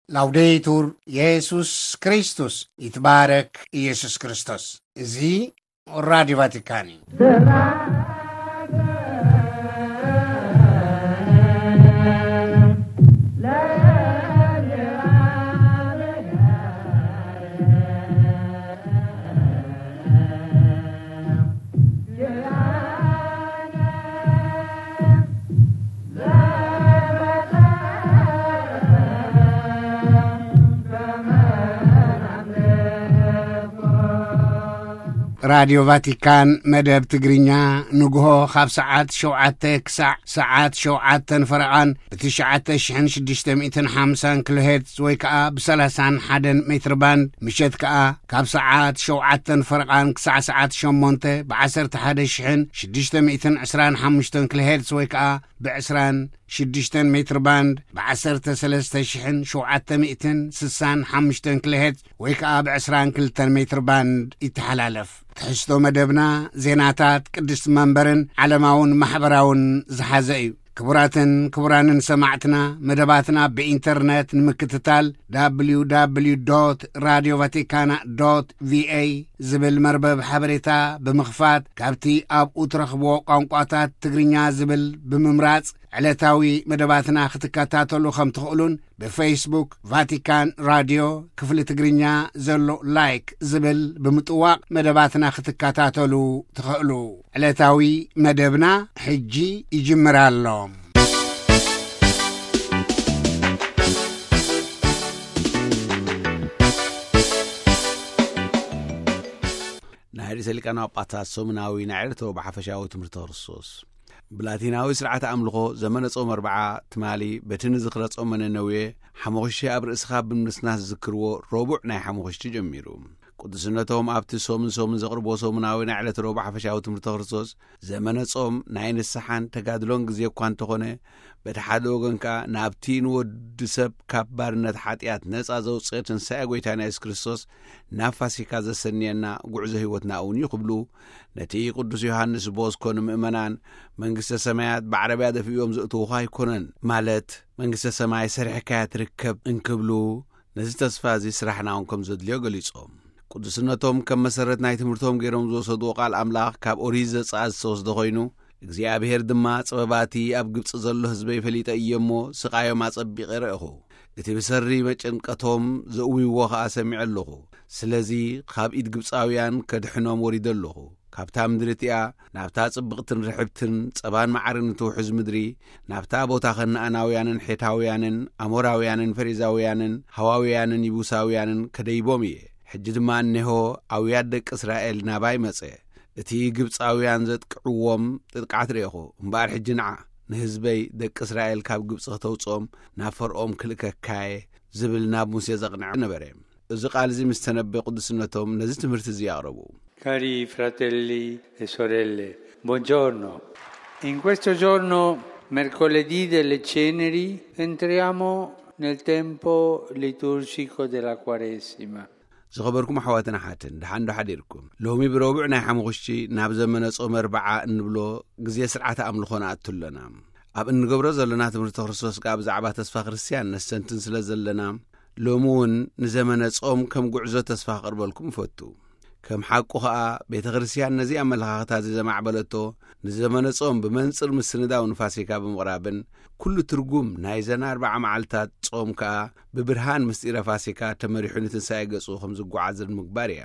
ላውዴቱር የሱስ ክርስቶስ፣ ይትባረክ ኢየሱስ ክርስቶስ። እዚ ራዲዮ ቫቲካን እዩ። ራዲዮ ቫቲካን መደብ ትግርኛ ንግሆ ካብ ሰዓት ሸውዓተ ክሳዕ ሰዓት ሸውዓተን ፈረቓን ብትሽዓተ ሽሕን ሽዱሽተ ሚእትን ሓምሳን ኪሎ ሄርትዝ ወይ ከኣ ብሰላሳን ሓደን ሜትር ባንድ፣ ምሸት ከኣ ካብ ሰዓት ሸውዓተን ፈረቓን ክሳዕ ሰዓት ሸሞንተ ብዓሰርተ ሓደ ሽሕን ሽዱሽተ ሚእትን ዕስራን ሓሙሽተን ኪሎ ሄርትዝ ወይ ከኣ ብዕስራን ሽዱሽተን ሜትር ባንድ ብዓሰርተ ሰለስተ ሽሕን ሸውዓተ ሚእትን ስሳን ሓሙሽተን ኪሎ ሄርትዝ ወይ ከኣ ብዕስራን ክልተን ሜትር ባንድ ይተሓላለፍ። ትሕዝቶ መደብና ዜናታት ቅድስቲ መንበርን ዓለማውን ማሕበራውን ዝሓዘ እዩ። ክቡራትን ክቡራንን ሰማዕትና፣ መደባትና ብኢንተርነት ንምክትታል፣ www radio vaticana ቪኤ ዝብል መርበብ ሓበሬታ ብምኽፋት፣ ካብቲ ኣብኡ ትረኽብዎ ቋንቋታት ትግርኛ ዝብል ብምምራጽ፣ ዕለታዊ መደባትና ክትከታተሉ ከም ትኽእሉን፣ ብፌስቡክ ቫቲካን ራድዮ ክፍሊ ትግርኛ ዘሎ ላይክ ዝብል ብምጥዋቕ መደባትና ክትከታተሉ ትኽእሉ። ዕለታዊ መደብና ሕጂ ይጅምር ኣሎ። ናይ ርእሰ ሊቃነ ጳጳሳት ሰሙናዊ ናይ ዕለታዊ ብሓፈሻዊ ትምህርቲ ክርስቶስ። ብላቲናዊ ስርዓተ ኣምልኾ ዘመነ ጾም ኣርብዓ ትማሊ በቲ ንዝኽረ ጾመ ነነዌ ሓሙኽሽቲ ኣብ ርእስኻ ብምንስናስ ዝዝክርዎ ረቡዕ ናይ ሓሙኽሽቲ ጀሚሩ። ቅዱስነቶም ኣብቲ ሰሙን ሰሙን ዘቕርቦ ሰሙናዊ ናይ ዕለተ ረቡዕ ሓፈሻዊ ትምህርቲ ክርስቶስ፣ ዘመነ ጾም ናይ ንስሓን ተጋድሎን ግዜ እኳ እንተኾነ፣ በቲ ሓደ ወገን ከኣ ናብቲ ንወዲ ሰብ ካብ ባርነት ሓጢኣት ነጻ ዘውጽኤ ትንሳኤ ጐይታና የሱስ ክርስቶስ ናብ ፋሲካ ዘሰንየና ጉዕዞ ህይወትና እውን እዩ ክብሉ፣ ነቲ ቅዱስ ዮሃንስ ቦስኮ ንምእመናን፣ መንግስተ ሰማያት ብዓረብያ ደፊእዮም ዘእትዉኻ ኣይኮነን፣ ማለት መንግስተ ሰማይ ሰሪሕካያ ትርከብ እንክብሉ፣ ነዚ ተስፋ እዚ ስራሕና እውን ከም ዘድልዮ ገሊጾም። ቅዱስነቶም ከም መሰረት ናይ ትምህርቶም ገይሮም ዝወሰድዎ ቃል ኣምላኽ ካብ ኦሪት ዘጸኣት ዝተወስደ ኮይኑ፣ እግዚኣብሔር ድማ "ጸበባቲ ኣብ ግብጺ ዘሎ ህዝበይ ፈሊጠ እየ እሞ፣ ስቓዮም ኣጸቢቐ ረእኹ። እቲ ብሰሪ መጨንቀቶም ዘእውይዎ ኸኣ ሰሚዐ ኣለኹ። ስለዚ፣ ካብ ኢድ ግብጻውያን ከድሕኖም ወሪደ ኣለኹ። ካብታ ምድሪ እቲኣ፣ ናብታ ጽብቕትን ርሕብትን ጸባን መዓርን እትውሕዝ ምድሪ፣ ናብታ ቦታ ከነኣናውያንን ሔታውያንን ኣሞራውያንን ፈሪዛውያንን ሃዋውያንን ይቡሳውያንን ከደይቦም እየ። ሕጂ ድማ እነሆ፣ ኣውያት ደቂ እስራኤል ናባይ መጸ። እቲ ግብጻውያን ዘጥቅዕዎም ጥጥቃዕት ርኤኹ። እምበኣር ሕጂ ንዓ፣ ንህዝበይ ደቂ እስራኤል ካብ ግብጺ ከተውጽኦም ናብ ፈርኦን ክልእከካየ" ዝብል ናብ ሙሴ ዘቕንዐ ነበረ። እዚ ቃል እዚ ምስ ተነበየ ቅዱስነቶም ነዚ ትምህርቲ እዚ ኣቕረቡ። Cari fratelli e sorelle, buongiorno. In questo giorno, mercoledì delle Ceneri, entriamo nel tempo liturgico della Quaresima. ዝኸበርኩም ኣሕዋትን ኣሓትን፣ ደሓን ዶ ሓዲርኩም? ሎሚ ብረቡዕ ናይ ሓሙኽሽቲ ናብ ዘመነ ጾመ ኣርብዓ እንብሎ ግዜ ስርዓተ ኣምልኾ ንኣቱ ኣለና። ኣብ እንገብሮ ዘለና ትምህርቲ ክርስቶስ ከኣ ብዛዕባ ተስፋ ክርስትያን ነስተንትን ስለ ዘለና፣ ሎሚ እውን ንዘመነ ጾም ከም ጉዕዞ ተስፋ ክቕርበልኩም እፈቱ። ከም ሓቁ ኸኣ፣ ቤተ ክርስትያን ነዚ ኣመለኻኽታ እዚ ዘማዕበለቶ፣ ንዘመነ ጾም ብመንጽር ምስንዳው ንፋሲካ ብምቕራብን፣ ኩሉ ትርጉም ናይዘን ኣርብዓ መዓልታት ጾም ከኣ ብብርሃን ምስጢረ ፋሲካ ተመሪሑ ንትንሳኤ ገጹ ከም ዝጓዓዝን ምግባር እያ።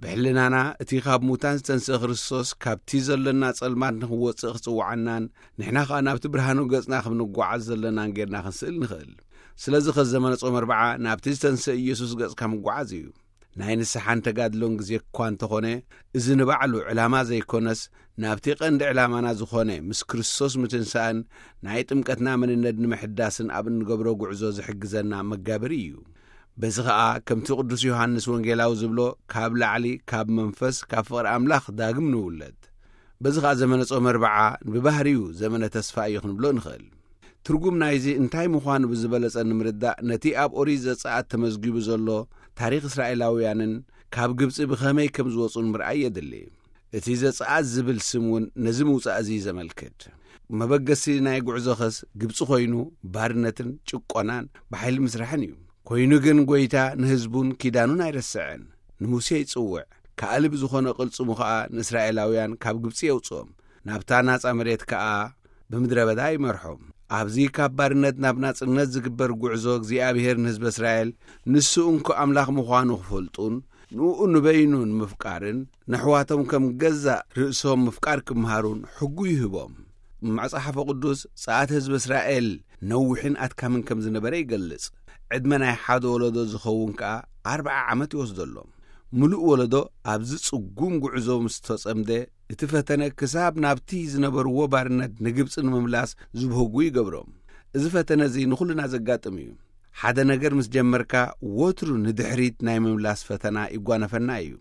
ብሕልናና እቲ ካብ ሙታን ዝተንስአ ክርስቶስ ካብቲ ዘለና ጸልማት ንኽወጽእ ክጽውዓናን፣ ንሕና ኸኣ ናብቲ ብርሃኑ ገጽና ከም ንጓዓዝ ዘለናን ጌርና ክንስእል ንኽእል። ስለዚ ኸዚ ዘመነ ጾም ኣርብዓ ናብቲ ዝተንስአ ኢየሱስ ገጽካ ምጓዓዝ እዩ። ናይ ንስሓን ተጋድሎን ግዜ እኳ እንተኾነ፣ እዚ ንባዕሉ ዕላማ ዘይኮነስ፣ ናብቲ ቀንዲ ዕላማና ዝኾነ ምስ ክርስቶስ ምትንሳእን ናይ ጥምቀትና መንነት ንምሕዳስን ኣብ እንገብሮ ጉዕዞ ዝሕግዘና መጋበሪ እዩ። በዚ ኸኣ ከምቲ ቅዱስ ዮሃንስ ወንጌላዊ ዝብሎ፣ ካብ ላዕሊ፣ ካብ መንፈስ፣ ካብ ፍቕሪ ኣምላኽ ዳግም ንውለድ። በዚ ኸኣ ዘመነ ጾም ኣርብዓ ብባህሪኡ ዘመነ ተስፋ እዩ ክንብሎ ንኽእል። ትርጉም ናይዚ እንታይ ምዃኑ ብዝበለጸ ንምርዳእ፣ ነቲ ኣብ ኦሪት ዘጸኣት ተመዝጊቡ ዘሎ ታሪኽ እስራኤላውያንን ካብ ግብጺ ብኸመይ ከም ዝወጹን ምርኣይ የድሊ። እቲ ዘጸኣት ዝብል ስም እውን ነዚ ምውጻእ እዚ ዘመልክት። መበገሲ ናይ ጉዕዞኸስ ግብጺ ኮይኑ፣ ባርነትን ጭቆናን ብሓይሊ ምስራሕን እዩ። ኮይኑ ግን ጐይታ ንህዝቡን ኪዳኑን ኣይረስዐን። ንሙሴ ይጽውዕ፣ ከኣ ልቢ ዝኾነ ቅልጽሙ ኸኣ ንእስራኤላውያን ካብ ግብጺ የውጽኦም፣ ናብታ ናጻ መሬት ከኣ ብምድረ በዳ ይመርሖም። ኣብዚ ካብ ባርነት ናብ ናጽነት ዝግበር ጉዕዞ እግዚኣብሔር ንህዝቢ እስራኤል ንሱ እንኮ ኣምላኽ ምዃኑ ክፈልጡን ንኡ ንበይኑ ንምፍቃርን ነሕዋቶም ከም ገዛእ ርእሶም ምፍቃር ክምሃሩን ሕጉ ይህቦም። መጽሓፈ ቅዱስ ጸኣት ህዝቢ እስራኤል ነዊሕን ኣድካምን ከም ዝነበረ ይገልጽ። ዕድመ ናይ ሓደ ወለዶ ዝኸውን ከኣ ኣርብዓ ዓመት ይወስደሎም። ምሉእ ወለዶ ኣብዚ ጽጉም ጉዕዞ ምስ ተጸምደ፣ እቲ ፈተነ ክሳብ ናብቲ ዝነበርዎ ባርነት ንግብጺ ንምምላስ ዝብህጉ ይገብሮም። እዚ ፈተነ እዚ ንኹልና ዘጋጥም እዩ። ሓደ ነገር ምስ ጀመርካ ወትሩ ንድሕሪት ናይ ምምላስ ፈተና ይጓነፈና እዩ።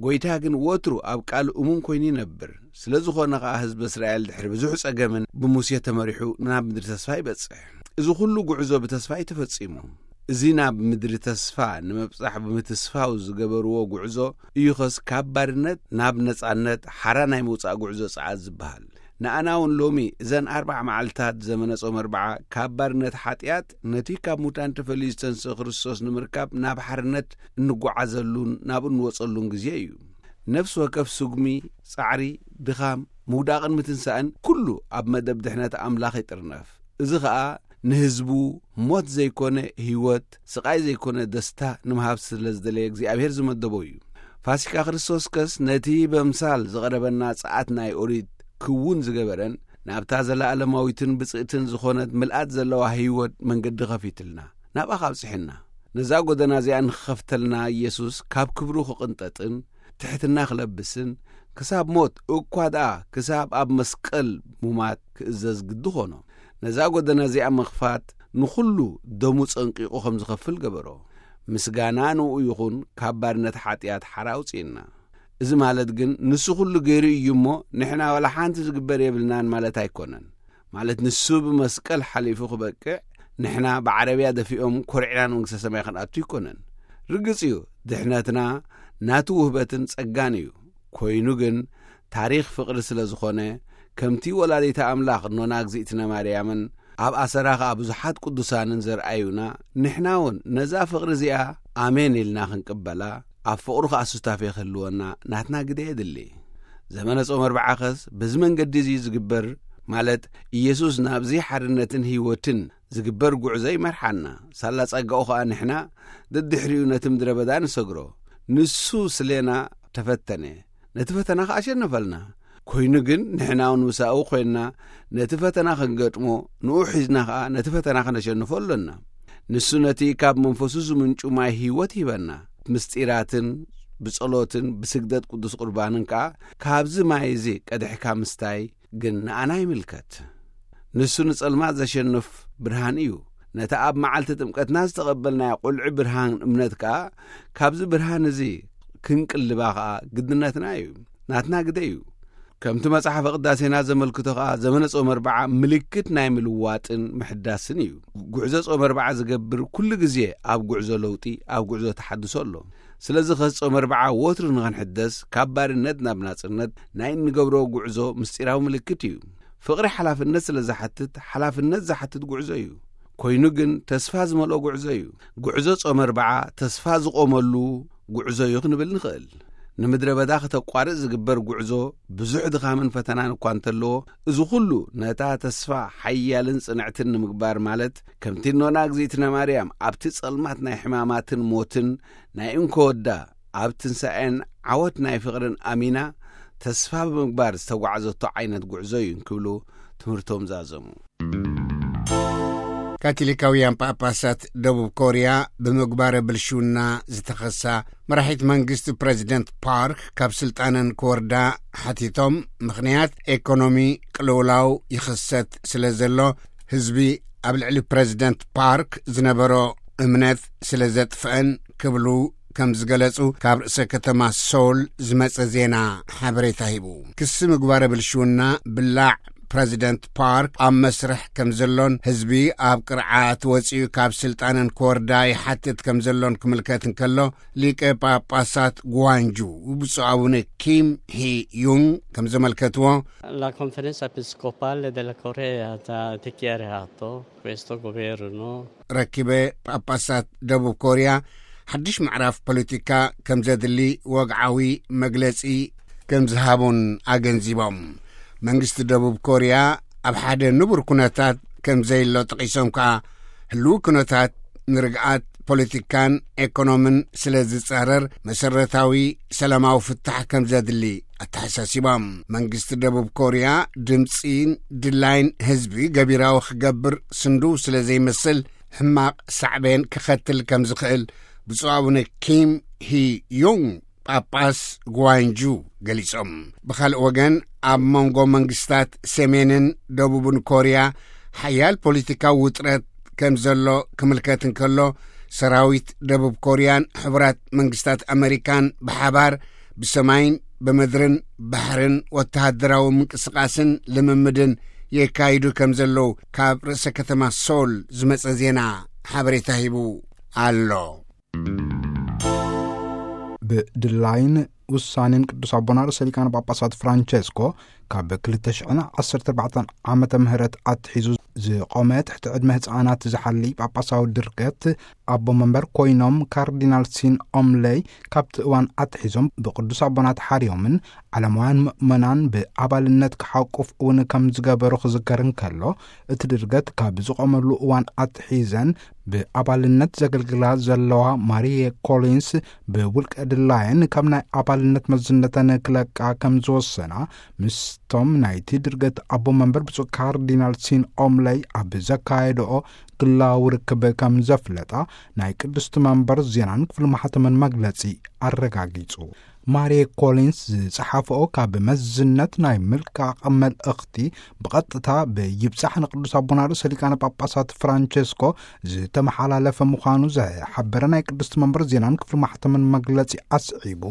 ጐይታ ግን ወትሩ ኣብ ቃል እሙን ኮይኑ ይነብር። ስለ ዝኾነ ኸኣ ህዝቢ እስራኤል ድሕሪ ብዙሕ ጸገምን ብሙሴ ተመሪሑ ናብ ምድሪ ተስፋ ይበጽሕ። እዚ ኹሉ ጉዕዞ ብተስፋ እዩ ተፈጺሙ። እዚ ናብ ምድሪ ተስፋ ንምብጻሕ ብምትስፋው ዝገበርዎ ጉዕዞ እዩኸስ ካብ ባርነት ናብ ነጻነት ሓራ ናይ ምውጻእ ጉዕዞ ጸዓት ዝበሃል። ንኣና እውን ሎሚ እዘን ኣርብዓ መዓልታት ዘመነ ጾም ኣርብዓ ካብ ባርነት ሓጢኣት ነቲ ካብ ሙታን ተፈልዩ ዝተንስእ ክርስቶስ ንምርካብ ናብ ሓርነት እንጓዓዘሉን ናብ እንወጸሉን ግዜ እዩ። ነፍሲ ወከፍ ስጉሚ፣ ጻዕሪ፣ ድኻም፣ ምውዳቕን ምትንሳእን ኩሉ ኣብ መደብ ድሕነት ኣምላኽ ይጥርነፍ። እዚ ኸኣ ንህዝቡ ሞት ዘይኮነ ህይወት፣ ስቓይ ዘይኮነ ደስታ ንምሃብ ስለ ዝደለየ እግዚኣብሔር ዝመደቦ እዩ። ፋሲካ ክርስቶስ ከስ ነቲ በምሳል ዝቐረበና ጸዓት ናይ ኦሪት ክውን ዝገበረን ናብታ ዘለኣለማዊትን ብጽእትን ዝኾነት ምልኣት ዘለዋ ህይወት መንገዲ ኸፊትልና ናብኣ ኻብጽሕና። ነዛ ጐደና እዚኣ ንኽኸፍተልና ኢየሱስ ካብ ክብሩ ክቕንጠጥን ትሕትና ክለብስን ክሳብ ሞት እኳ ደኣ ክሳብ ኣብ መስቀል ሙማት ክእዘዝ ግዲ ኾኖ። ነዛ ጐደና እዚኣ ምኽፋት ንኹሉ ደሙ ጸንቂቑ ከም ዝኸፍል ገበሮ። ምስጋና ንኡ ይኹን፣ ካብ ባርነት ሓጢኣት ሓራ ኣውጽእና። እዚ ማለት ግን ንሱ ኩሉ ገይሩ እዩ እሞ ንሕና ዋላ ሓንቲ ዝግበር የብልናን ማለት ኣይኮነን። ማለት ንሱ ብመስቀል ሓሊፉ ክበቅዕ ንሕና ብዓረብያ ደፊኦም ኮርዕና ንመንግስተ ሰማይ ክንኣቱ ኣይኮነን። ርግጽ እዩ ድሕነትና ናቱ ውህበትን ጸጋን እዩ። ኮይኑ ግን ታሪኽ ፍቕሪ ስለ ዝኾነ ከምቲ ወላዲተ ኣምላኽ እኖና እግዚኣብነ ማርያምን ኣብ ኣሰራ ኸኣ ብዙሓት ቅዱሳንን ዘርኣዩና ንሕና እውን ነዛ ፍቕሪ እዚኣ ኣሜን ኢልና ክንቅበላ ኣብ ፍቕሩ ኸኣ ሱታፌ ክህልወና ናትና ግደ የድሊ። ዘመነ ጾም ኣርብዓ ኸስ በዚ መንገዲ እዚ ዝግበር ማለት ኢየሱስ ናብዚ ሓርነትን ህይወትን ዝግበር ጉዕዞ ይመርሓና። ሳላ ጸጋኡ ኸኣ ንሕና ደድሕሪኡ ነቲ ምድረ በዳ ንሰግሮ። ንሱ ስሌና ተፈተነ፣ ነቲ ፈተና ኸኣ ኣሸነፈልና። ኮይኑ ግን ንሕና እውን ምሳኡ ኮይንና ነቲ ፈተና ክንገጥሞ ንኡ ሒዝና ኸኣ ነቲ ፈተና ከነሸንፎ ኣሎና። ንሱ ነቲ ካብ መንፈሱ ዝምንጩ ማይ ህይወት ይህበና። ምስጢራትን ብጸሎትን ብስግደት ቅዱስ ቁርባንን ከኣ ካብዚ ማይ እዚ ቀድሕካ ምስታይ ግን ንኣና ይምልከት። ንሱ ንጸልማት ዘሸንፍ ብርሃን እዩ። ነታ ኣብ መዓልቲ ጥምቀትና ዝተቐበልናያ ቁልዒ ብርሃን እምነት ከኣ ካብዚ ብርሃን እዚ ክንቅልባ ከኣ ግድነትና እዩ። ናትና ግደ እዩ። ከምቲ መጽሓፈ ቅዳሴና ዘመልክቶ ከኣ ዘመነ ጾም ኣርብዓ ምልክት ናይ ምልዋጥን ምሕዳስን እዩ። ጉዕዞ ጾም ኣርብዓ ዝገብር ኩሉ ግዜ ኣብ ጉዕዞ ለውጢ፣ ኣብ ጉዕዞ ተሓድሶ ኣሎ። ስለዚ ኸስ ጾም ኣርብዓ ወትሩ ንኽንሕደስ ካብ ባርነት ናብ ናጽነት ናይ እንገብሮ ጉዕዞ ምስጢራዊ ምልክት እዩ። ፍቕሪ ሓላፍነት ስለ ዝሓትት ሓላፍነት ዝሓትት ጉዕዞ እዩ። ኮይኑ ግን ተስፋ ዝመልኦ ጉዕዞ እዩ። ጉዕዞ ጾም ኣርብዓ ተስፋ ዝቖመሉ ጉዕዞ እዩ ክንብል ንኽእል። ንምድረ በዳ ክተቋርጽ ዝግበር ጉዕዞ ብዙሕ ድኻምን ፈተናን እኳ እንተለዎ፣ እዚ ኩሉ ነታ ተስፋ ሓያልን ጽንዕትን ንምግባር ማለት ከምቲ እኖና እግዚኣብነ ማርያም ኣብቲ ጸልማት ናይ ሕማማትን ሞትን ናይ እንኮ ወዳ ኣብ ትንሳኤን ዓወት ናይ ፍቕርን ኣሚና ተስፋ ብምግባር ዝተጓዕዘቶ ዓይነት ጉዕዞ እዩ እንክብሉ ትምህርቶም ዛዘሙ። ካቶሊካውያን ጳጳሳት ደቡብ ኮርያ ብምግባረ ብልሽውና ዝተኸሳ መራሒት መንግስቲ ፕረዚደንት ፓርክ ካብ ስልጣነን ክወርዳ ሓቲቶም፣ ምኽንያት ኤኮኖሚ ቅልውላው ይኽሰት ስለ ዘሎ ህዝቢ ኣብ ልዕሊ ፕረዚደንት ፓርክ ዝነበሮ እምነት ስለ ዘጥፍአን ክብሉ ከም ዝገለጹ ካብ ርእሰ ከተማ ሶል ዝመጸ ዜና ሓበሬታ ሂቡ። ክሲ ምግባረ ብልሽውና፣ ብላዕ፣ ፕረዚደንት ፓርክ ኣብ መስርሕ ከም ዘሎን ህዝቢ ኣብ ቅርዓት ወጺኡ ካብ ስልጣነን ክወርዳ ይሓትት ከም ዘሎን ክምልከት እንከሎ፣ ሊቀ ጳጳሳት ጓንጁ ብፁዕ ኣቡነ ኪም ሂ ዩንግ ከም ዘመልከትዎ፣ La conferenza episcopale della Corea ha dichiarato questo governo. ረኪበ ጳጳሳት ደቡብ ኮርያ ሓድሽ ምዕራፍ ፖለቲካ ከም ዘድሊ ወግዓዊ መግለጺ ከም ዝሃቡን ኣገንዚቦም። መንግስቲ ደቡብ ኮርያ ኣብ ሓደ ንቡር ኩነታት ከም ዘይሎ ጠቒሶም ከኣ፣ ህልው ኩነታት ንርግኣት ፖለቲካን ኤኮኖምን ስለ ዝጻረር፣ መሰረታዊ ሰላማዊ ፍታሕ ከም ዘድሊ ኣተሓሳሲቦም። መንግስቲ ደቡብ ኮርያ ድምጺን ድላይን ህዝቢ ገቢራዊ ክገብር ስንዱ ስለ ዘይመስል፣ ሕማቕ ሳዕቤን ክኸትል ከም ዝኽእል ብፁዕ ኣቡነ ኪም ሂ ዩንግ ጳጳስ ጓንጁ ገሊጾም። ብኻልእ ወገን፣ ኣብ መንጎ መንግስታት ሰሜንን ደቡብን ኮርያ ሓያል ፖለቲካዊ ውጥረት ከም ዘሎ ክምልከት እንከሎ፣ ሰራዊት ደቡብ ኮርያን ሕቡራት መንግስታት ኣመሪካን ብሓባር ብሰማይን ብምድርን ባሕርን ወተሃደራዊ ምንቅስቓስን ልምምድን የካይዱ ከም ዘለዉ ካብ ርእሰ ከተማ ሶል ዝመጸ ዜና ሓበሬታ ሂቡ ኣሎ። ብድላይን ውሳኔን ቅዱስ ኣቦና ርእሰ ሊቃነ ጳጳሳት ፍራንቸስኮ ካብ ክልተ ሽሕን ዓሰርተ ኣርባዕተን ዓመተ ምህረት ኣትሒዙ ዝቆመ ትሕቲ ዕድመ ህፃናት ዝሓሊ ጳጳሳዊ ድርገት ኣቦ መንበር ኮይኖም ካርዲናል ሲን ኦምለይ ካብቲ እዋን ኣትሒዞም ብቅዱስ ኣቦና ተሓርዮምን ዓለማውያን ምእመናን ብኣባልነት ክሓቁፍ እውን ከም ዝገበሩ ክዝከር እንከሎ፣ እቲ ድርገት ካብ ዝቆመሉ እዋን ኣትሒዘን ብኣባልነት ዘገልግላ ዘለዋ ማሪየ ኮሊንስ ብውልቀ ድላየን ካብ ናይ ኣባልነት መዝነተን ክለቃ ከም ዝወሰና ምስቶም ናይቲ ድርገት ኣቦ መንበር ብፁዕ ካርዲናል ሲን ኦምለይ ኣብ ዘካየድኦ ግላዊ ርክብ ከም ዘፍለጣ ናይ ቅድስቲ መንበር ዜናን ክፍሊ ማሕተምን መግለጺ ኣረጋጊጹ። ማሪየ ኮሊንስ ዝጸሓፈኦ ካብ መዝነት ናይ ምልቃቕ መልእኽቲ ብቐጥታ ብይብጻሕ ንቅዱስ ኣቦና ርእሰ ሊቃነ ጳጳሳት ፍራንቸስኮ ዝተመሓላለፈ ምዃኑ ዝሓበረ ናይ ቅድስቲ መንበር ዜናን ክፍሊ ማሕተምን መግለጺ ኣስዒቡ፣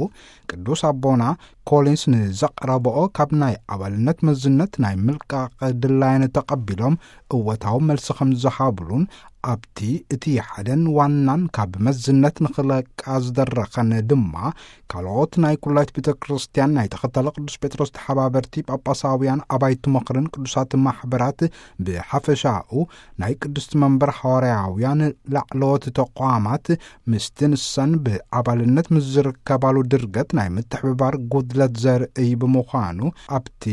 ቅዱስ ኣቦና ኮሊንስ ንዘቕረበኦ ካብ ናይ ኣባልነት መዝነት ናይ ምልቃቕ ድላየን ተቐቢሎም እወታዊ መልሲ ከም ዝሃብሉን ኣብቲ እቲ ሓደን ዋናን ካብ መዝነት ንኽለቃ ዝደረኸን ድማ ካልኦት ናይ ኩላይት ቤተ ክርስቲያን ናይ ተኸተለ ቅዱስ ጴጥሮስ ተሓባበርቲ ጳጳሳውያን ኣባይቲ ምኽርን ቅዱሳት ማሕበራት ብሓፈሻኡ ናይ ቅድስቲ መንበር ሃዋርያውያን ላዕለዎት ተቋማት ምስቲ ንሰን ብኣባልነት ምስ ዝርከባሉ ድርገት ናይ ምትሕብባር ጉድለት ዘርእይ ብምዃኑ ኣብቲ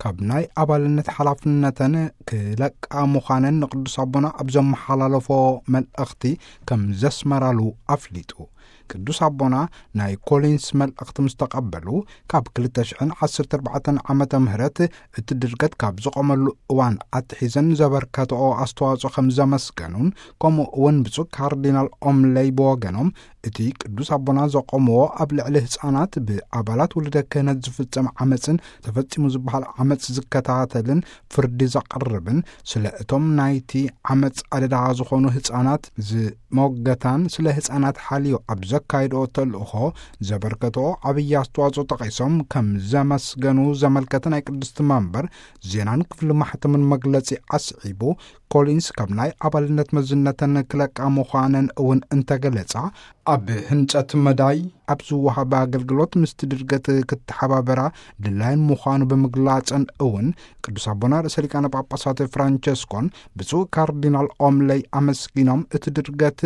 ካብ ናይ ኣባልነት ሓላፍነተን ክለቃ ምዃነን ንቅዱስ ኣቦና ኣብ ዘመሓላለፎ መልእኽቲ ከም ዘስመራሉ ኣፍሊጡ። ቅዱስ ኣቦና ናይ ኮሊንስ መልእኽቲ ምስ ተቐበሉ ካብ ክልተ ሽሕን ዓሰርተ ኣርባዕተን ዓመተ ምህረት እቲ ድርገት ካብ ዝቆመሉ እዋን ኣትሒዘን ዘበርከተኦ ኣስተዋጽኦ ከም ዘመስገኑን ከምኡ እውን ብፁዕ ካርዲናል ኦምለይ ብወገኖም እቲ ቅዱስ ኣቦና ዘቆምዎ ኣብ ልዕሊ ህፃናት ብኣባላት ውልደ ክህነት ዝፍጸም ዓመፅን ተፈጺሙ ዝበሃል ዓመፅ ዝከታተልን ፍርዲ ዘቕርብን ስለ እቶም ናይቲ ዓመፅ ኣደዳ ዝኾኑ ህፃናት ዝሞገታን ስለ ህፃናት ሓልዮ ኣብ ዘካይድኦ ተልእኾ ዘበርከትኦ ዓብዪ ኣስተዋፅኦ ጠቒሶም ከም ዘመስገኑ ዘመልከተ ናይ ቅድስቲ መንበር ዜናን ክፍሊ ማሕተምን መግለጺ ኣስዒቡ፣ ኮሊንስ ካብ ናይ ኣባልነት መዝነተን ክለቃ ምዃነን እውን እንተገለጻ፣ ኣብ ህንጸት መዳይ ኣብ ዝወሃብ ኣገልግሎት ምስቲ ድርገት ክተሓባበራ ድላይን ምዃኑ ብምግላጸን እውን ቅዱስ ኣቦና ርእሰ ሊቃነ ጳጳሳት ፍራንቸስኮን ብፁዕ ካርዲናል ኦምለይ ኣመስጊኖም፣ እቲ ድርገት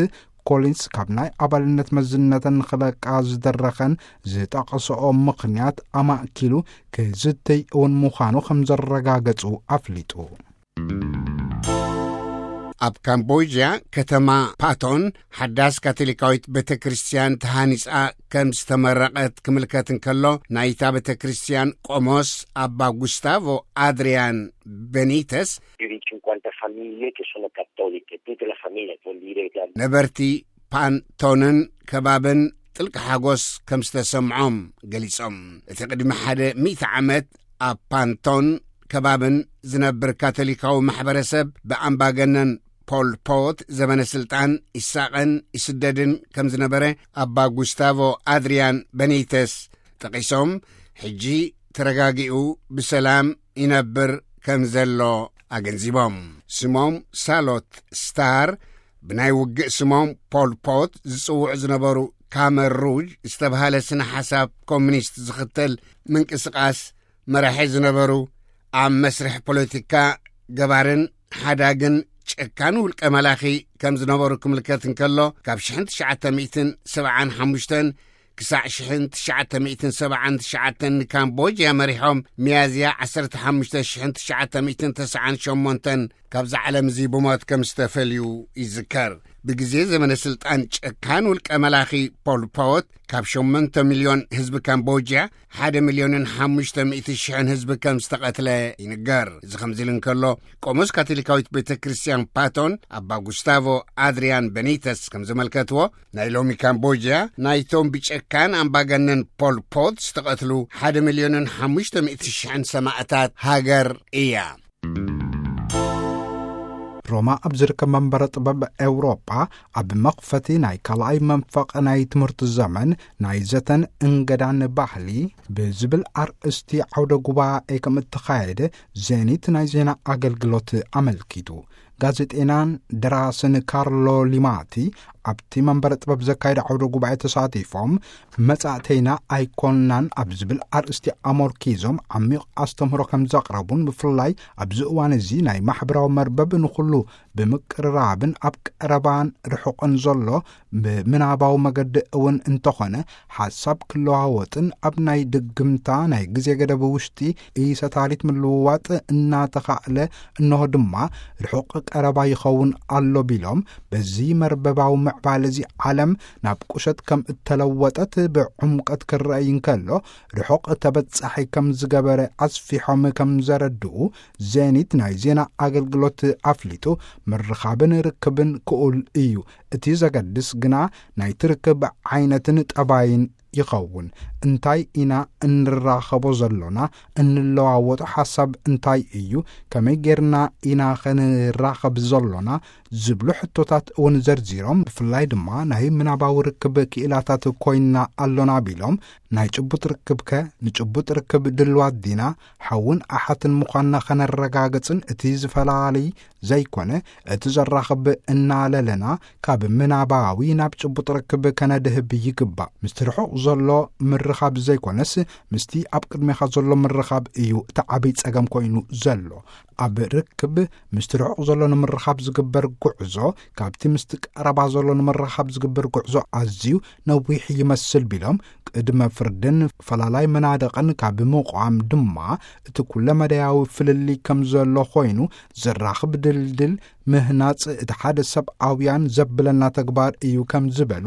ኮሊንስ ካብ ናይ ኣባልነት መዝነተን ንኽለቃ ዝደረኸን ዝጠቐሰኦ ምኽንያት ኣማእኪሉ ክዝተይ እውን ምዃኑ ከም ዘረጋገጹ ኣፍሊጡ። ኣብ ካምቦድያ ከተማ ፓቶን ሓዳስ ካቶሊካዊት ቤተ ክርስቲያን ተሃኒጻ ከም ዝተመረቐት ክምልከት እንከሎ፣ ናይታ ቤተ ክርስቲያን ቆሞስ ኣባ ጉስታቮ ኣድሪያን ቤኒተስ Più di cinquanta famiglie che sono cattoliche, tutte le famiglie vuol dire che ነበርቲ ፓንቶንን ከባብን ጥልቂ ሓጎስ ከም ዝተሰምዖም ገሊጾም። እቲ ቅድሚ ሓደ ሚእቲ ዓመት ኣብ ፓንቶን ከባብን ዝነብር ካቶሊካዊ ማሕበረሰብ ብኣምባገነን ፖል ፖት ዘበነ ስልጣን ይሳቐን ይስደድን ከም ዝነበረ ኣባ ጉስታቮ ኣድሪያን በኒተስ ጠቒሶም፣ ሕጂ ተረጋጊኡ ብሰላም ይነብር ከም ዘሎ ኣገንዚቦም። ስሞም ሳሎት ስታር፣ ብናይ ውግእ ስሞም ፖል ፖት ዝጽውዑ ዝነበሩ ካመር ሩጅ ዝተባህለ ስነ ሓሳብ ኮሚኒስት ዝኽተል ምንቅስቓስ መራሒ ዝነበሩ፣ ኣብ መስርሕ ፖለቲካ ገባርን ሓዳግን ጨካን ውልቀ መላኺ ከም ዝነበሩ ክምልከት እንከሎ፣ ካብ ሽሕን ትሽዓተ ሚእትን ሰብዓን ሓሙሽተን ክሳዕ ሽሕን ትሽዓተ ሚእትን ሰብዓን ትሽዓተን ንካምቦጅያ መሪሖም፣ ሚያዝያ ዓሰርተ ሓሙሽተ ሽሕን ትሽዓተ ሚእትን ተስዓን ሸሞንተን ካብዛ ዓለም እዚ ብሞት ከም ዝተፈልዩ ይዝከር። ብግዜ ዘመነ ስልጣን ጨካን ውልቀ መላኺ ፖል ፖት፣ ካብ ሸሞንተ ሚልዮን ህዝቢ ካምቦጅያ፣ ሓደ ሚልዮንን ሓሙሽተ ሚእቲ ሽሕን ህዝቢ ከም ዝተቐትለ ይንገር። እዚ ከምዚ ኢሉ እንከሎ፣ ቆሞስ ካቶሊካዊት ቤተ ክርስቲያን ፓቶን ኣባ ጉስታቮ ኣድሪያን በኒተስ ከም ዘመልከትዎ፣ ናይ ሎሚ ካምቦጅያ ናይቶም ብጨካን ኣምባገነን ፖል ፖት ዝተቐትሉ ሓደ ሚልዮንን ሓሙሽተ ሚእቲ ሽሕን ሰማእታት ሃገር እያ። ሮማ ኣብ ዝርከብ መንበረ ጥበብ ኤውሮጳ፣ ኣብ መኽፈቲ ናይ ካልኣይ መንፈቕ ናይ ትምህርቲ ዘመን ናይ ዘተን እንገዳን ባህሊ ብዝብል ኣርእስቲ ዓውደ ጉባኤ ከም እተኻየደ ዜኒት ናይ ዜና ኣገልግሎት ኣመልኪቱ። ጋዜጤናን ደራስን ካርሎ ሊማቲ ኣብቲ መንበረ ጥበብ ዘካየደ ዓውደ ጉባኤ ተሳቲፎም፣ መጻእተይና ኣይኮንናን ኣብ ዝብል ኣርእስቲ ኣመርኪዞም ዓሚቕ ኣስተምህሮ ከም ዘቕረቡን፣ ብፍላይ ኣብዚ እዋን እዚ ናይ ማሕበራዊ መርበብ ንኹሉ ብምቅርራብን ኣብ ቀረባን ርሑቕን ዘሎ ብምናባዊ መገዲ እውን እንተኾነ ሓሳብ ክለዋወጥን ኣብ ናይ ድግምታ ናይ ግዜ ገደብ ውሽጢ ኢሰታሊት ምልውዋጥ እናተኻእለ፣ እንሆ ድማ ርሑቕ ቀረባ ይኸውን ኣሎ ቢሎም፣ በዚ መርበባዊ ምዕባለ እዚ ዓለም ናብ ቁሸት ከም እተለወጠት ብዕምቀት ክረኣይ እንከሎ፣ ርሑቕ ተበጻሒ ከም ዝገበረ ኣስፊሖም ከም ዘረድኡ ዜኒት ናይ ዜና ኣገልግሎት ኣፍሊጡ። ምርኻብን ርክብን ክኡል እዩ። እቲ ዘገድስ ግና ናይቲ ርክብ ዓይነትን ጠባይን ይኸውን። እንታይ ኢና እንራኸቦ ዘሎና? እንለዋወጦ ሓሳብ እንታይ እዩ? ከመይ ጌርና ኢና ኸንራኸብ ዘሎና? ዝብሉ ሕቶታት እውን ዘርዚሮም፣ ብፍላይ ድማ ናይ ምናባዊ ርክብ ክኢላታት ኮይንና ኣሎና ቢሎም፣ ናይ ጭቡጥ ርክብከ ንጭቡጥ ርክብ ድልዋት ዲና? ሓውን ኣሓትን ምዃንና ኸነረጋግጽን እቲ ዝፈላሊ ዘይኮነ እቲ ዘራኽብ እናለለና ካብ ምናባዊ ናብ ጭቡጥ ርክብ ከነድህብ ይግባእ። ምስቲ ርሑቕ ዘሎ ምርኻብ ዘይኮነስ ምስቲ ኣብ ቅድሜኻ ዘሎ ምርኻብ እዩ እቲ ዓብይ ጸገም ኮይኑ ዘሎ። ኣብ ርክብ ምስቲ ርሑቕ ዘሎ ንምርኻብ ዝግበር ጉዕዞ ካብቲ ምስቲ ቀረባ ዘሎ ንምርኻብ ዝግበር ጉዕዞ ኣዝዩ ነዊሕ ይመስል ቢሎም፣ ቅድመ ፍርድን ፈላላይ መናድቕን ካብ ምቋም ድማ እቲ ኩለ መዳያዊ ፍልልይ ከም ዘሎ ኮይኑ፣ ዘራኽብ ድልድል ምህናጽ እቲ ሓደ ሰብኣውያን ዘብለና ተግባር እዩ ከም ዝበሉ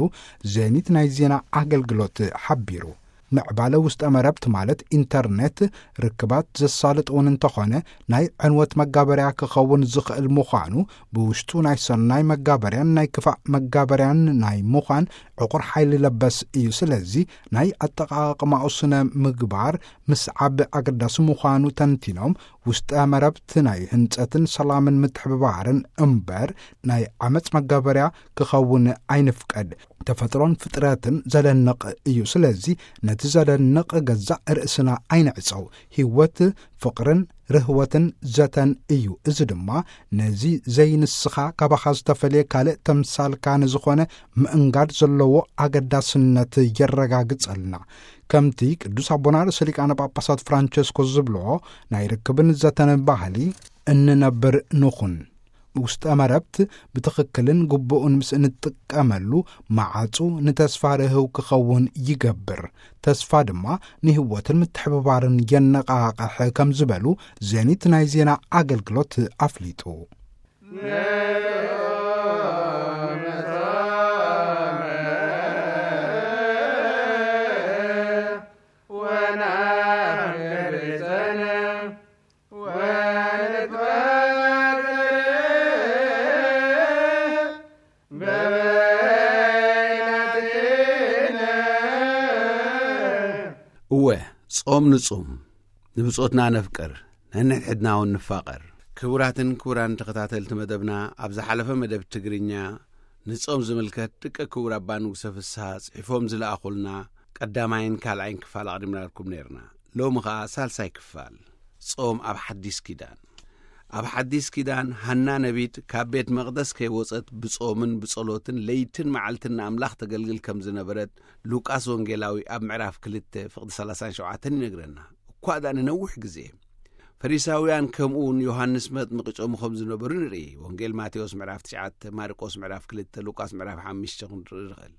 ዜኒት ናይ ዜና ኣገልግሎት ሓቢሩ። ምዕባለ ውስጠ መረብት ማለት ኢንተርኔት ርክባት ዘሳልጥ እውን እንተኾነ፣ ናይ ዕንወት መጋበርያ ክኸውን ዝኽእል ምዃኑ፣ ብውሽጡ ናይ ሰናይ መጋበርያን ናይ ክፋእ መጋበርያን ናይ ምዃን ዕቑር ሓይሊ ለበስ እዩ። ስለዚ ናይ ኣጠቓቕማኡ ስነ ምግባር ምስዓብ ኣገዳሲ ምዃኑ ተንቲኖም፣ ውስጠ መረብት ናይ ህንጸትን ሰላምን ምትሕብባርን እምበር ናይ ዓመጽ መጋበርያ ክኸውን ኣይንፍቀድ። ተፈጥሮን ፍጥረትን ዘደንቕ እዩ። ስለዚ ነቲ ዘደንቕ ገዛእ ርእስና ኣይንዕጸው። ህይወት ፍቕርን ርህወትን ዘተን እዩ። እዚ ድማ ነዚ ዘይንስኻ ካባኻ ዝተፈልየ ካልእ ተምሳልካ ንዝኾነ ምእንጋድ ዘለዎ ኣገዳስነት የረጋግጸልና። ከምቲ ቅዱስ ኣቦና ርእሰ ሊቃነ ጳጳሳት ፍራንቸስኮ ዝብልዎ፣ ናይ ርክብን ዘተን ባህሊ እንነብር ንኹን። ውስጠ መረብት ብትኽክልን ግቡእን ምስ እንጥቀመሉ፣ መዓጹ ንተስፋ ርህው ክኸውን ይገብር። ተስፋ ድማ ንህይወትን ምትሕብባርን የነቓቕሕ ከም ዝበሉ ዜኒት ናይ ዜና ኣገልግሎት ኣፍሊጡ። እወ፣ ጾም ንጹም፣ ንብጾትና ነፍቅር፣ ነንሕድሕድና እውን ንፋቐር። ክቡራትን ክቡራን ተኸታተልቲ መደብና፣ ኣብ ዝሓለፈ መደብ ትግርኛ ንጾም ዝምልከት ደቂ ክቡር ኣባ ንጉሰ ፍስሃ ጽሒፎም ዝለኣኹልና ቀዳማይን ካልኣይን ክፋል ኣቕዲምናልኩም ነይርና። ሎሚ ኸኣ ሳልሳይ ክፋል፣ ጾም ኣብ ሓዲስ ኪዳን። ኣብ ሓዲስ ኪዳን፣ ሃና ነቢት ካብ ቤት መቕደስ ከይወጸት ብጾምን ብጸሎትን ለይትን መዓልትን ንኣምላኽ ተገልግል ከም ዝነበረት ሉቃስ ወንጌላዊ ኣብ ምዕራፍ ክልተ ፍቕዲ ሰላሳን ሸውዓተን ይነግረና። እኳ ደኣ ንነዊሕ ግዜ ፈሪሳውያን ከምኡውን ዮሃንስ መጥምቂ ጾሙ ከም ዝነበሩ ንርኢ። ወንጌል ማቴዎስ ምዕራፍ ትሽዓተ፣ ማርቆስ ምዕራፍ ክልተ፣ ሉቃስ ምዕራፍ ሓሙሽተ ክንርኢ ንኽእል።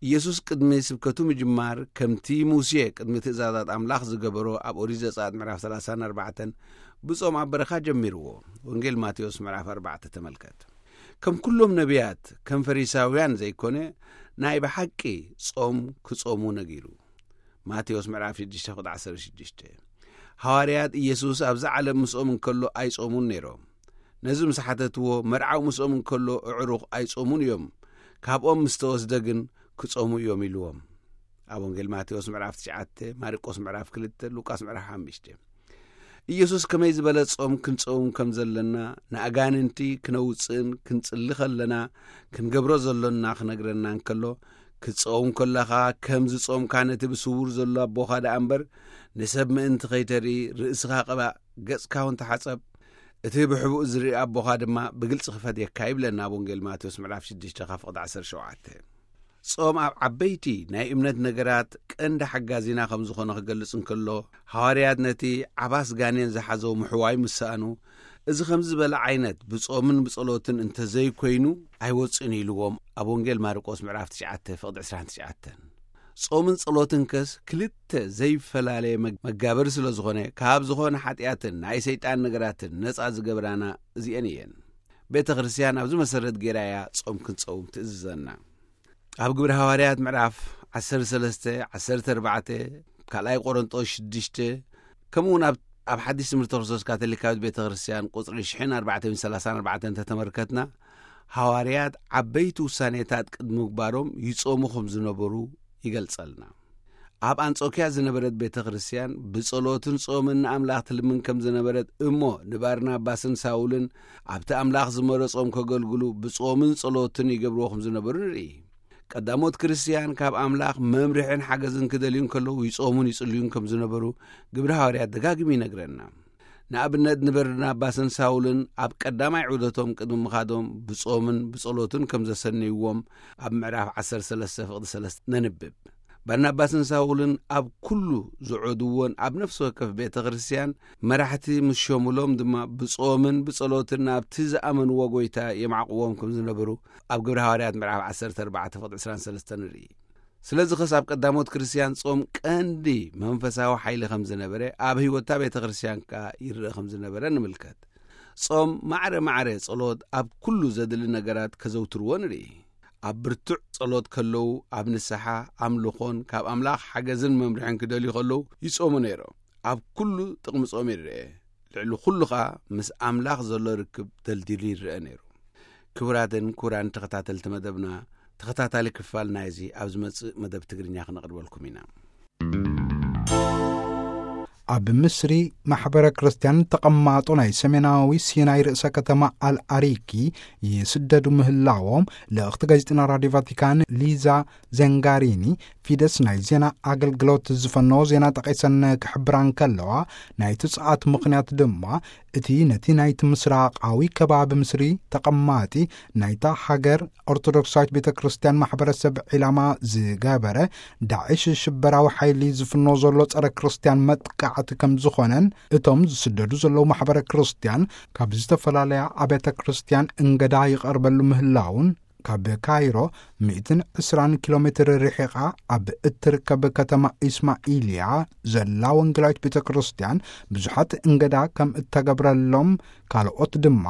ኢየሱስ ቅድሚ ስብከቱ ምጅማር፣ ከምቲ ሙሴ ቅድሚ ትእዛዛት ኣምላኽ ዝገበሮ ኣብ ኦሪት ዘጸኣት ምዕራፍ ሰላሳን ኣርባዕተን ብጾም ኣብ በረኻ ጀሚርዎ። ወንጌል ማቴዎስ ምዕራፍ ኣርባዕተ ተመልከት። ከም ኩሎም ነቢያት፣ ከም ፈሪሳውያን ዘይኮነ፣ ናይ ብሓቂ ጾም ክጾሙ ነጊሩ። ማቴዎስ ምዕራፍ ሽዱሽተ ፍቕዲ ዓሰርተ ሽዱሽተ። ሃዋርያት ኢየሱስ ኣብዛ ዓለም ምስኦም እንከሎ ኣይጾሙን ነይሮም። ነዚ ምስ ሓተትዎ፣ መርዓው ምስኦም እንከሎ ኣዕሩኽ ኣይጾሙን እዮም፣ ካብኦም ምስ ተወስደ ግን ክጾሙ እዮም ኢልዎም። ኣብ ወንጌል ማቴዎስ ምዕራፍ ትሽዓተ፣ ማርቆስ ምዕራፍ ክልተ፣ ሉቃስ ምዕራፍ ሓሙሽተ። ኢየሱስ ከመይ ዝበለ ጾም ክንጸውም ከም ዘለና፣ ንኣጋንንቲ ክነውጽእን ክንጽሊ ከለና ክንገብሮ ዘሎና ክነግረና እንከሎ፣ ክትጸውም ከለኻ ከም ዝጾምካ ነቲ ብስውር ዘሎ ኣቦኻ ደኣ እምበር፣ ንሰብ ምእንቲ ከይተርኢ ርእስኻ ቅባእ፣ ገጽካ እውን ተሓጸብ፣ እቲ ብሕቡእ ዝርኢ ኣቦኻ ድማ ብግልጺ ክፈትየካ ይብለና ኣብ ወንጌል ማቴዎስ ምዕራፍ ሽዱሽተ ካብ ፍቕዲ ዓሰርተ ሸውዓተ። ጾም ኣብ ዓበይቲ ናይ እምነት ነገራት ቀንዲ ሓጋዚና ከም ዝኾነ ክገልጽ እንከሎ፣ ሃዋርያት ነቲ ዓባስ ጋኔን ዝሓዞ ምሕዋይ ምስ ሰኣኑ፣ እዚ ከምዚ ዝበለ ዓይነት ብጾምን ብጸሎትን እንተዘይኮይኑ ኣይወጽእን ኢልዎም ኣብ ወንጌል ማርቆስ ምዕራፍ ትሽዓተ ፍቕዲ ዕስራን ትሽዓተን። ጾምን ጸሎትን ከስ ክልተ ዘይፈላለየ መግ-፣ መጋበሪ ስለ ዝኾነ፣ ካብ ዝኾነ ሓጢኣትን ናይ ሰይጣን ነገራትን ነጻ ዝገብራና እዚኤን እየን። ቤተ ክርስቲያን ኣብዚ መሰረት ጌራ እያ ጾም ክንጸውም ትእዝዘና። ኣብ ግብሪ ሃዋርያት ምዕራፍ ዓሰርተ ሰለስተ፣ ዓሰርተ ኣርባዕተ፣ ካልኣይ ቆሮንጦስ ሽዱሽተ፣ ከምኡ እውን ኣብ፣ ኣብ ሓዲስ ትምህርቲ ክርስቶስ ካቶሊካዊት ቤተ ክርስቲያን ቁጽሪ ሽሕን ኣርባዕተ ሚእትን ሰላሳን ኣርባዕተን እንተተመልከትና፣ ሃዋርያት ዓበይቲ ውሳኔታት ቅድሚ ምግባሮም ይጾሙ ከም ዝነበሩ ይገልጸልና። ኣብ ኣንጾክያ ዝነበረት ቤተ ክርስቲያን ብጸሎትን ጾምን ንኣምላኽ ትልምን ከም ዝነበረት እሞ፣ ንባርናባስን ሳውልን ኣብቲ ኣምላኽ ዝመረጾም ከገልግሉ ብጾምን ጸሎትን ይገብርዎ ከም ዝነበሩ ንርኢ። ቀዳሞት ክርስትያን ካብ ኣምላኽ መምርሕን ሓገዝን ክደልዩ እንከለዉ ይጾሙን ይጽልዩን ከም ዝነበሩ ግብሪ ሃዋርያት ደጋጊሙ ይነግረና። ንኣብነት፣ ንበርናባስን ሳውልን ኣብ ቀዳማይ ዑደቶም ቅድሚ ምኻዶም ብጾምን ብጸሎትን ከም ዘሰነይዎም ኣብ ምዕራፍ ዓሰርተ ሰለስተ ፍቕዲ ሰለስተ ነንብብ። በርናባስን ሳውልን ኣብ ኩሉ ዝዑድዎን ኣብ ነፍሲ ወከፍ ቤተ ክርስቲያን መራሕቲ ምስ ሸሙሎም ድማ ብጾምን ብጸሎትን ናብቲ ዝኣመንዎ ጐይታ የማዕቕዎም ከም ዝነበሩ ኣብ ግብሪ ሃዋርያት ምዕራፍ ዓሰርተ ኣርባዕተ ፍቕዲ ዕስራን ሰለስተን ንርኢ። ስለዚ ኸስ ኣብ ቀዳሞት ክርስትያን ጾም ቀንዲ መንፈሳዊ ሓይሊ ከም ዝነበረ፣ ኣብ ህይወታ ቤተ ክርስቲያን ከኣ ይረአ ከም ዝነበረ ንምልከት። ጾም ማዕረ ማዕረ ጸሎት ኣብ ኩሉ ዘድሊ ነገራት ከዘውትርዎ ንርኢ። ኣብ ብርቱዕ ጸሎት ከለዉ፣ ኣብ ንስሓ፣ ኣምልኾን ካብ ኣምላኽ ሓገዝን መምርሕን ክደልዩ ከለዉ ይጾሙ ነይሮም። ኣብ ኩሉ ጥቕሚ ጾም ይረአ። ልዕሊ ኩሉ ኸኣ ምስ ኣምላኽ ዘሎ ርክብ ደልዲሉ ይረአ ነይሩ። ክቡራትን ክቡራን ተኸታተልቲ መደብና፣ ተኸታታሊ ክፋል ናይዚ ኣብ ዝመጽእ መደብ ትግርኛ ክነቕርበልኩም ኢና። ኣብ ምስሪ ማሕበረ ክርስቲያን ተቐማጦ ናይ ሰሜናዊ ሲናይ ርእሰ ከተማ ኣልኣሪኪ ይስደዱ ምህላዎም ልእኽቲ ጋዜጠና ራድዮ ቫቲካን ሊዛ ዘንጋሪኒ ፊደስ ናይ ዜና ኣገልግሎት ዝፈነዎ ዜና ጠቒሰን ክሕብራ እንከለዋ፣ ናይቲ ጽዓት ምኽንያት ድማ እቲ ነቲ ናይቲ ምስራቓዊ ከባቢ ምስሪ ተቐማጢ ናይታ ሃገር ኦርቶዶክሳዊት ቤተ ክርስቲያን ማሕበረሰብ ዒላማ ዝገበረ ዳዕሽ ሽበራዊ ሓይሊ ዝፍኖ ዘሎ ጸረ ክርስቲያን መጥቃዕቲ ከም ዝኾነን፣ እቶም ዝስደዱ ዘለዉ ማሕበረ ክርስቲያን ካብ ዝተፈላለያ ኣብያተ ክርስቲያን እንገዳ ይቐርበሉ ምህላውን፣ ካብ ካይሮ ሚእትን ዕስራን ኪሎ ሜትር ርሒቓ ኣብ እትርከብ ከተማ ኢስማኢልያ ዘላ ወንጌላዊት ቤተ ክርስቲያን ብዙሓት እንገዳ ከም እተገብረሎም፣ ካልኦት ድማ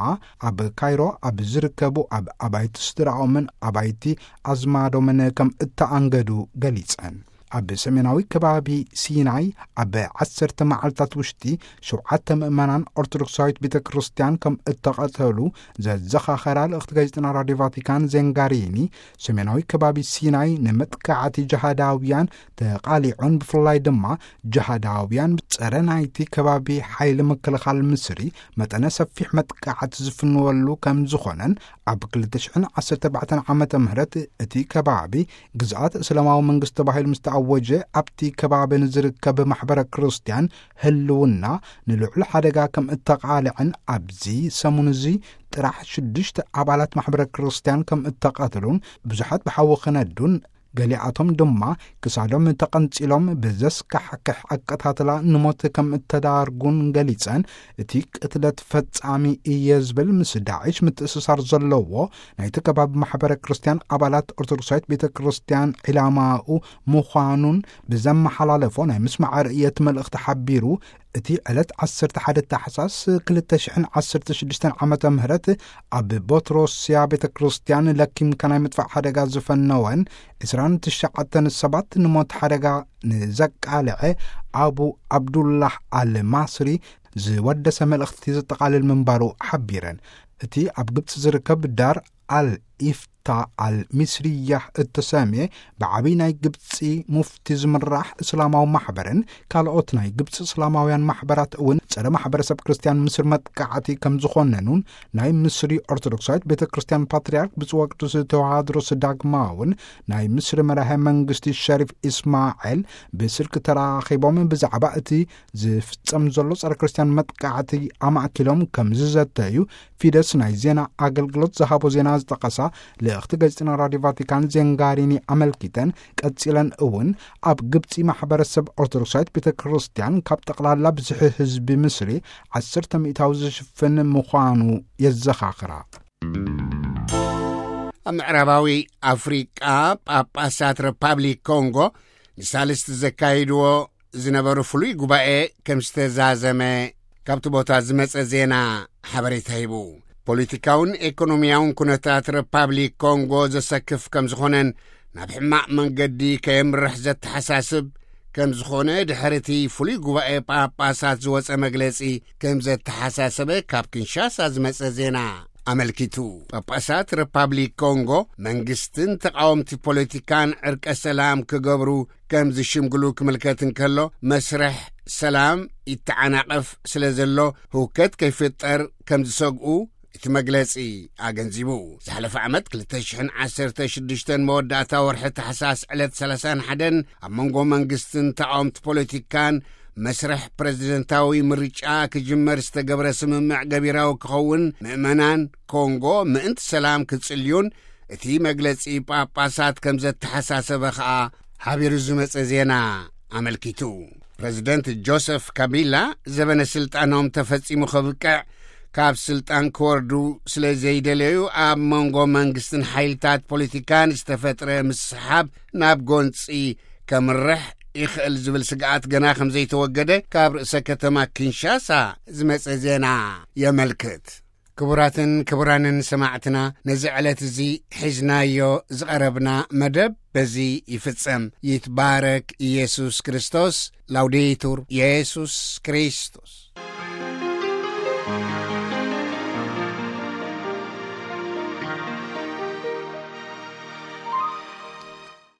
ኣብ ካይሮ ኣብ ዝርከቡ ኣብ ኣባይቲ ስድራኦምን ኣባይቲ ኣዝማዶምን ከም እተኣንገዱ ገሊጸን። ኣብ ሰሜናዊ ከባቢ ሲናይ ኣብ ዓሰርተ መዓልታት ውሽጢ ሸውዓተ ምእመናን ኦርቶዶክሳዊት ቤተ ክርስቲያን ከም እተቐተሉ ዘዘኻኸራ ልእኽቲ ጋዜጠና ራድዮ ቫቲካን ዜንጋሪኒ፣ ሰሜናዊ ከባቢ ሲናይ ንመጥቃዕቲ ጅሃዳውያን ተቓሊዑን፣ ብፍላይ ድማ ጅሃዳውያን ጸረ ናይቲ ከባቢ ሓይሊ ምክልኻል ምስሪ መጠነ ሰፊሕ መጥቃዕቲ ዝፍንወሉ ከም ዝኾነን፣ ኣብ ክልተ ሽሕን ዓሰርተ ኣርባዕተን ዓመተ ምህረት እቲ ከባቢ ግዝኣት እስላማዊ መንግስቲ ተባሂሉ ምስ ወጀ ኣብቲ ከባቢ ንዝርከብ ማሕበረ ክርስቲያን ህልውና ንልዑል ሓደጋ ከም እተቓልዐን፣ ኣብዚ ሰሙን እዚ ጥራሕ ሽዱሽተ ኣባላት ማሕበረ ክርስቲያን ከም እተቐትሉን፣ ብዙሓት ብሓዊ ክነዱን፣ ገሊኣቶም ድማ ክሳዶም ተቐንጺሎም ብዘስካሕክሕ ኣቀታትላ ንሞት ከም እተዳርጉን ገሊጸን፣ እቲ ቅትለት ፈጻሚ እየ ዝብል ምስ ዳዕሽ ምትእስሳር ዘለዎ ናይቲ ከባቢ ማሕበረ ክርስቲያን ኣባላት ኦርቶዶክሳዊት ቤተ ክርስቲያን ዒላማኡ ምዃኑን ብዘመሓላለፎ ናይ ምስማዕ ርእየት መልእኽቲ ሓቢሩ፣ እቲ ዕለት ዓሰርተ ሓደ ታሕሳስ ክልተ ሽሕን ዓሰርተ ሽዱሽተን ዓመተ ምህረት ኣብ ቦትሮስያ ቤተ ክርስቲያን ለኪምካ ናይ ምጥፋእ ሓደጋ ዝፈነወን ዕስራን ትሽዓተን ሰባት ንሞት ሓደጋ ንዘቃልዐ ኣቡ ኣብዱላህ ኣል ማስሪ ዝወደሰ መልእኽቲ ዘጠቓልል ምንባሩ ሓቢረን። እቲ ኣብ ግብፂ ዝርከብ ዳር ኣል ኢፍታ ኣል ሚስርያ እተሰምየ ብዓብዪ ናይ ግብፂ ሙፍቲ ዝምራሕ እስላማዊ ማሕበርን ካልኦት ናይ ግብፂ እስላማውያን ማሕበራት እውን ጸረ ማሕበረሰብ ክርስቲያን ምስሪ መጥቃዕቲ ከም ዝኾነኑን፣ ናይ ምስሪ ኦርቶዶክሳዊት ቤተ ክርስቲያን ፓትርያርክ ብፁዕ ወቅዱስ ተዋድሮስ ዳግማውን ናይ ምስሪ መራሄ መንግስቲ ሸሪፍ ኢስማኤል ብስልክ ተራኺቦም ብዛዕባ እቲ ዝፍጸም ዘሎ ጸረ ክርስቲያን መጥቃዕቲ ኣማእኪሎም ከም ዝዘተዩ ፊደስ ናይ ዜና ኣገልግሎት ዝሃቦ ዜና ዝጠቐሳ ልእኽቲ ጋዜጠኛ ራድዮ ቫቲካን ዜንጋሪኒ ኣመልኪተን፣ ቀጺለን እውን ኣብ ግብጺ ማሕበረሰብ ኦርቶዶክሳዊት ቤተ ክርስቲያን ካብ ጠቕላላ ብዝሒ ህዝቢ ምስሪ ዓሰርተ ሚእታዊ ዝሽፍን ምዃኑ የዘኻኽራ። ኣብ ምዕራባዊ ኣፍሪቃ ጳጳሳት ሪፓብሊክ ኮንጎ ንሳልስቲ ዘካይድዎ ዝነበሩ ፍሉይ ጉባኤ ከም ዝተዛዘመ ካብቲ ቦታ ዝመጸ ዜና ሓበሬታ ሂቡ። ፖለቲካውን ኤኮኖሚያውን ኩነታት ሪፓብሊክ ኮንጎ ዘሰክፍ ከም ዝኾነን ናብ ሕማቕ መንገዲ ከየምርሕ ዘተሓሳስብ ከም ዝኾነ ድሕሪ እቲ ፍሉይ ጉባኤ ጳጳሳት ዝወጸ መግለጺ ከም ዘተሓሳሰበ ካብ ኪንሻሳ ዝመጸ ዜና ኣመልኪቱ። ጳጳሳት ሪፓብሊክ ኮንጎ መንግስትን ተቃወምቲ ፖለቲካን ዕርቀ ሰላም ክገብሩ ከም ዝሽምግሉ ክምልከት እንከሎ፣ መስርሕ ሰላም ይተዓናቐፍ ስለ ዘሎ ህውከት ከይፍጠር ከም ዝሰግኡ እቲ መግለጺ ኣገንዚቡ። ዝሓለፈ ዓመት ክልተ ሽሕን ዓሰርተ ሽዱሽተን መወዳእታ ወርሒ ታሕሳስ ዕለት ሰላሳን ሓደን ኣብ መንጎ መንግስትን ተቃወምቲ ፖለቲካን መስርሕ ፕረዚደንታዊ ምርጫ ክጅመር ዝተገብረ ስምምዕ ገቢራዊ ክኸውን፣ ምእመናን ኮንጎ ምእንቲ ሰላም ክጽልዩን እቲ መግለጺ ጳጳሳት ከም ዘተሓሳሰበ ኸኣ ሓቢሩ ዝመጸ ዜና ኣመልኪቱ። ፕረዚደንት ጆሰፍ ካቢላ ዘበነ ስልጣኖም ተፈጺሙ ከብቅዕ ካብ ስልጣን ክወርዱ ስለ ዘይደለዩ፣ ኣብ መንጎ መንግስትን ሓይልታት ፖለቲካን ዝተፈጥረ ምስሓብ ናብ ጎንጺ ከምርሕ ይኽእል ዝብል ስግኣት ገና ከም ዘይተወገደ ካብ ርእሰ ከተማ ኪንሻሳ ዝመጸ ዜና የመልክት። ክቡራትን ክቡራንን ሰማዕትና፣ ነዚ ዕለት እዚ ሒዝናዮ ዝቐረብና መደብ በዚ ይፍጸም። ይትባረክ ኢየሱስ ክርስቶስ። ላውዴቱር ኢየሱስ ክርስቶስ።